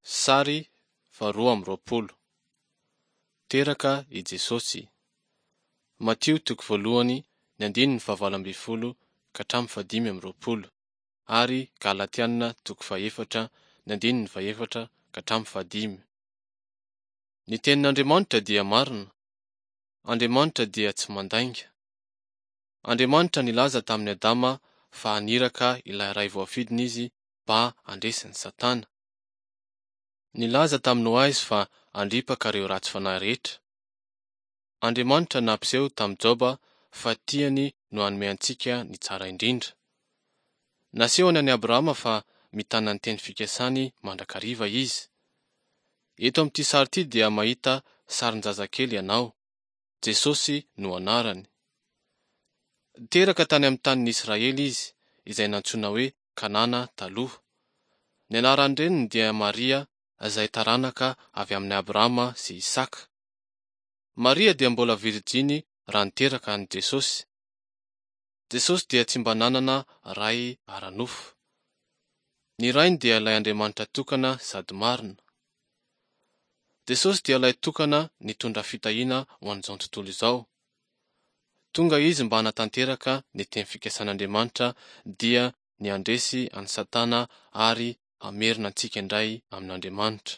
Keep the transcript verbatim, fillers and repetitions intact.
Sary faharoa amby roapolo. Teraka i Jesosy. Matio toko voalohany ny andininy fahavalo ambin'ny folo ka hatramin'ny fahadimy amby roapolo ary Galatiana toko fahefatra ny andininy fahefatra ka hatramin'ny fahadimy. Ny tenin'Andriamanitra dia marina. Andriamanitra dia tsy mandainga. Andriamanitra nilaza tamin'i Adama fa haniraka ilay ray voafidiny izy mba handresy ny Satana. Nilaza tamin'i Noa izy fa handripaka ireo ratsy fanahy rehetra. Andriamanitra nampiseho tamin'i Joba fa tiany no hanome antsika ny tsara indrindra. Nasehony an'i Abrahama fa mitana ny teny fikasany mandrakariva izy. Eto amin'ity sary ity dia mahita sarin-jazakely ianao. Jesosy no anarany. Teraka tany amin'ny tanin'i Israely izy, izay nantsoina hoe Kanana taloha. Ny anaran-dreniny dia Maria izay taranaka avy amin'i Abrahama sy Isaka. Maria dia mbola virijiny raha niteraka an'i Jesosy. Jesosy dia tsy mba nanana ray ara-nofo. Ny rainy dia ilay Andriamanitra tokana sady marina. Jesosy dia ilay tokana nitondra fitahiana ho an'izao tontolo izao. Tonga izy mba hanatanteraka ny teny fikasan'Andriamanitra dia ny handresy an'i Satana ary hamerina antsika indray amin'Andriamanitra.